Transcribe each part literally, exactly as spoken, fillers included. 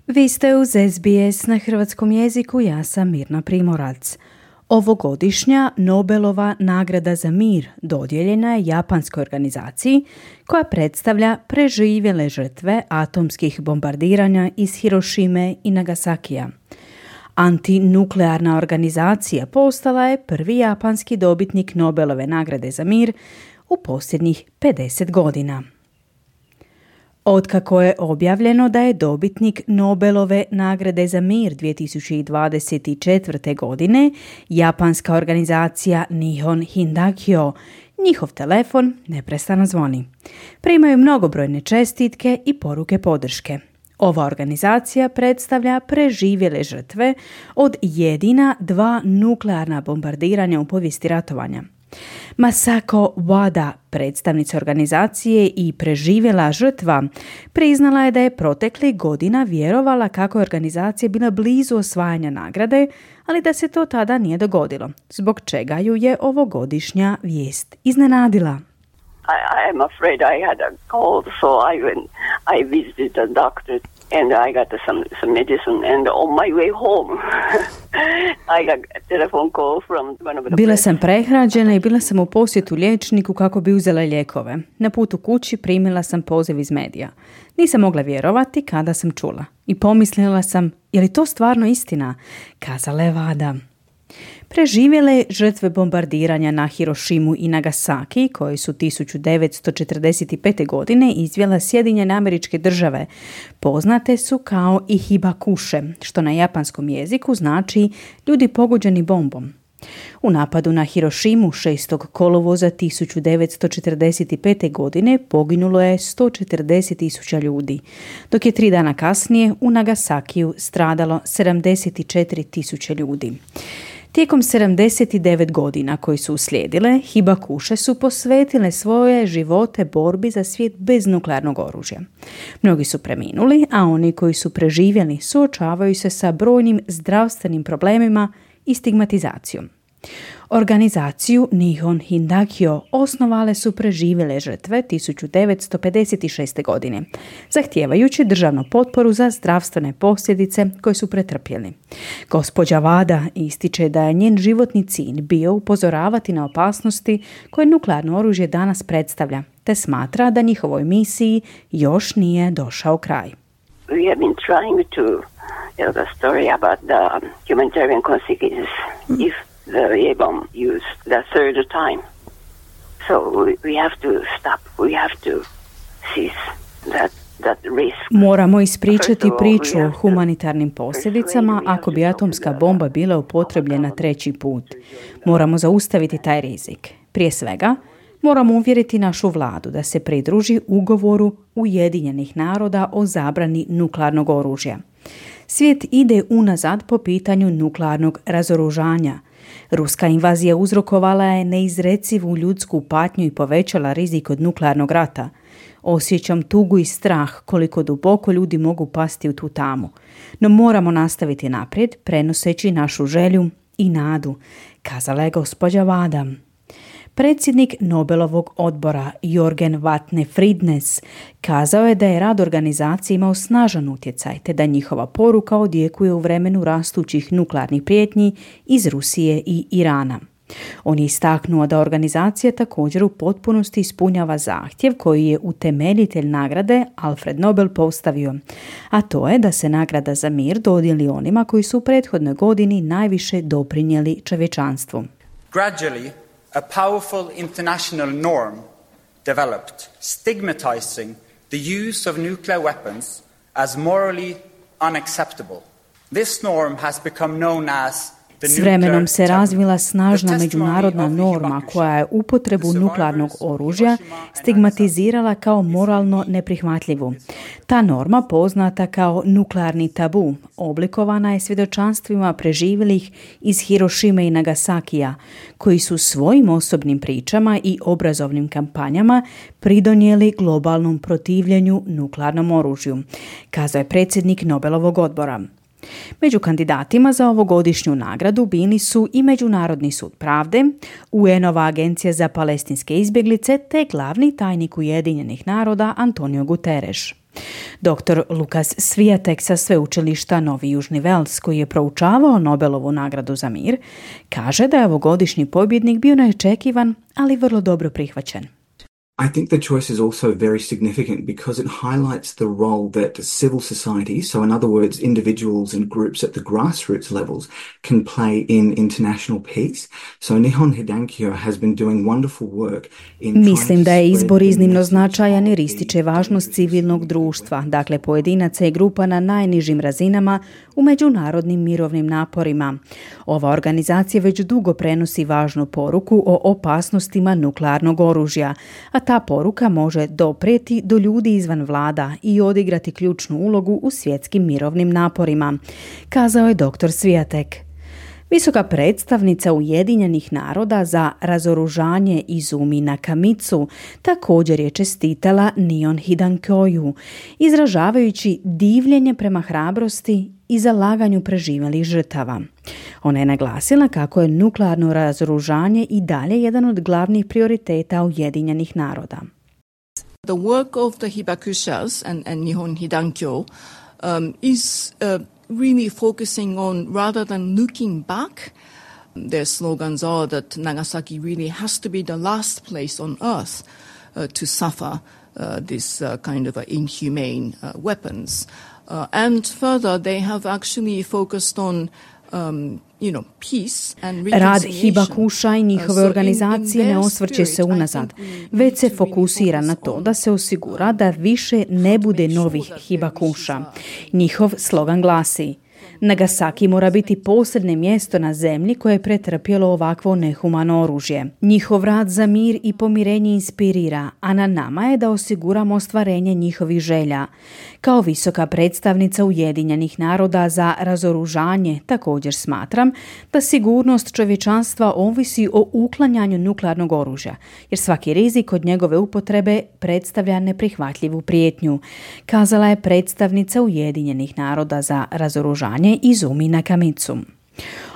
Vi ste uz S B S na hrvatskom jeziku, ja sam Mirna Primorac. Ovogodišnja Nobelova nagrada za mir dodijeljena je japanskoj organizaciji koja predstavlja preživjele žrtve atomskih bombardiranja iz Hirošime i Nagasakija. Antinuklearna organizacija postala je prvi japanski dobitnik Nobelove nagrade za mir u posljednjih pedeset godina. Otkako je objavljeno da je dobitnik Nobelove nagrade za mir dvije tisuće dvadeset četvrte. godine japanska organizacija Nihon Hindakyo, njihov telefon neprestano zvoni. Primaju mnogobrojne čestitke i poruke podrške. Ova organizacija predstavlja preživjele žrtve od jedina dva nuklearna bombardiranja u povijesti ratovanja. Masako Wada, predstavnica organizacije i preživjela žrtva, priznala je da je proteklih godina vjerovala kako je organizacija bila blizu osvajanja nagrade, ali da se to tada nije dogodilo, zbog čega ju je ovogodišnja vijest iznenadila. I, I'm afraid I had a cold, so I went, I visited the doctor and I got some, some medicine and on my way home I got a telephone call from one of the... Bila sam prehrađena i bila sam u posjetu liječniku kako bi uzela lijekove. Na putu kući primila sam poziv iz medija. Nisam mogla vjerovati kada sam čula. I pomislila sam, je li to stvarno istina? Kazala je Wada. Preživjele žrtve bombardiranja na Hirošimu i Nagasaki, koje su tisuću devetsto četrdeset pete. godine izvela Sjedinjene Američke Države, poznate su kao i hibakuše, što na japanskom jeziku znači ljudi pogođeni bombom. U napadu na Hirošimu šestog kolovoza tisuću devetsto četrdeset pete. godine poginulo je sto četrdeset tisuća ljudi, dok je tri dana kasnije u Nagasakiju stradalo sedamdeset četiri tisuće ljudi. Tijekom sedamdeset devet godina koji su uslijedile, hibakuše su posvetile svoje živote borbi za svijet bez nuklearnog oružja. Mnogi su preminuli, a oni koji su preživjeli suočavaju se sa brojnim zdravstvenim problemima i stigmatizacijom. Organizaciju Nihon Hindakyo osnovale su preživjele žrtve tisuću devetsto pedeset šeste. godine, zahtijevajući državnu potporu za zdravstvene posljedice koje su pretrpjeli. Gospođa Wada ističe da je njen životni cilj bio upozoravati na opasnosti koje nuklearno oružje danas predstavlja, te smatra da njihovoj misiji još nije došao kraj. We have been trying to tell the story about the humanitarian consequences if the A-bomb used the third time. So we, we have to stop. We have to cease that, that risk. Moramo ispričati priču o humanitarnim posljedicama ako bi atomska bomba bila upotrebljena treći put. Moramo zaustaviti taj rizik. Prije svega, moramo uvjeriti našu vladu da se pridruži ugovoru Ujedinjenih naroda o zabrani nuklearnog oružja. Svijet ide unazad po pitanju nuklearnog razoružanja. Ruska invazija uzrokovala je neizrecivu ljudsku patnju i povećala rizik od nuklearnog rata. Osjećam tugu i strah koliko duboko ljudi mogu pasti u tu tamu. No moramo nastaviti naprijed, prenoseći našu želju i nadu, kazala je gospođa Wada. Predsjednik Nobelovog odbora Jorgen Vatne-Fridnes kazao je da je rad organizacije imao snažan utjecaj, te da njihova poruka odjekuje u vremenu rastućih nuklearnih prijetnji iz Rusije i Irana. On je istaknuo da organizacija također u potpunosti ispunjava zahtjev koji je utemeljitelj nagrade Alfred Nobel postavio, a to je da se nagrada za mir dodijeli onima koji su u prethodnoj godini najviše doprinijeli čovječanstvu. Gradually, a powerful international norm developed, stigmatizing the use of nuclear weapons as morally unacceptable. This norm has become known as S vremenom se razvila snažna međunarodna norma koja je upotrebu nuklearnog oružja stigmatizirala kao moralno neprihvatljivu. Ta norma, poznata kao nuklearni tabu, oblikovana je svjedočanstvima preživjelih iz Hirošime i Nagasakija, koji su svojim osobnim pričama i obrazovnim kampanjama pridonijeli globalnom protivljenju nuklearnom oružju, kazao je predsjednik Nobelovog odbora. Među kandidatima za ovogodišnju nagradu bili su i Međunarodni sud pravde, U N-ova agencija za palestinske izbjeglice te glavni tajnik Ujedinjenih naroda Antonio Guterres. doktor Lukas Swiatek sa sveučilišta Novi Južni Vels, koji je proučavao Nobelovu nagradu za mir, kaže da je ovogodišnji pobjednik bio neočekivan, ali vrlo dobro prihvaćen. I think the choice is also very significant because it highlights the role that civil society, so in other words, individuals and groups at the grassroots levels, can play in international peace. So Nihon Hidankyo has been doing wonderful work in Mislim da je izbor iznimno značajan jer ističe važnost civilnog društva, dakle pojedinaca i grupa na najnižim razinama u međunarodnim mirovnim naporima. Ova organizacija već dugo prenosi važnu poruku o opasnostima nuklearnog oružja, a ta poruka može doprijeti do ljudi izvan vlada i odigrati ključnu ulogu u svjetskim mirovnim naporima, kazao je doktor Swiatek. Visoka predstavnica Ujedinjenih naroda za razoružanje Izumi Nakamitsu također je čestitala Nihon Hidankyoju, izražavajući divljenje prema hrabrosti i zalaganju preživjelih žrtava. Ona je naglasila kako je nuklearno razoružanje i dalje jedan od glavnih prioriteta Ujedinjenih naroda. The work of the Hibakushas and, and Nihon Hidankyo um, is uh, really focusing on, rather than looking back, their slogans are that Nagasaki really has to be the last place on earth uh, to suffer uh, this uh, kind of uh, inhumane uh, weapons. Uh, and further, they have actually focused on um, you know, peace and reconciliation. Rad Hibakusha i njihove organizacije ne osvrće se unazad, već se fokusira na to da se osigura da više ne bude novih Hibakusha. Njihov slogan glasi: Nagasaki mora biti posebno mjesto na zemlji koje je pretrpjelo ovakvo nehumano oružje. Njihov rad za mir i pomirenje inspirira, a na nama je da osiguramo ostvarenje njihovih želja. Kao visoka predstavnica Ujedinjenih naroda za razoružanje također smatram da sigurnost čovječanstva ovisi o uklanjanju nuklearnog oružja, jer svaki rizik od njegove upotrebe predstavlja neprihvatljivu prijetnju, kazala je predstavnica Ujedinjenih naroda za razoružanje Izumi Nakamitsu.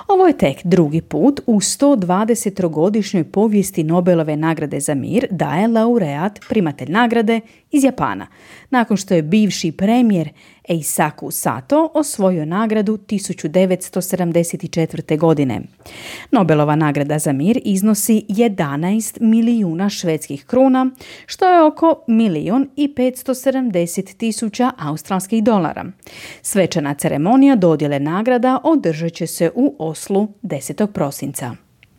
Ovo je tek drugi put u sto dvadesetogodišnjoj povijesti Nobelove nagrade za mir da je laureat, primatelj nagrade, iz Japana, nakon što je bivši premijer Eisaku Sato osvojio nagradu tisuću devetsto sedamdeset četvrte. godine. Nobelova nagrada za mir iznosi jedanaest milijuna švedskih kruna, što je oko milijun i petsto sedamdeset tisuća australskih dolara. Svečana ceremonija dodjele nagrada održat će se u Oslu desetog prosinca.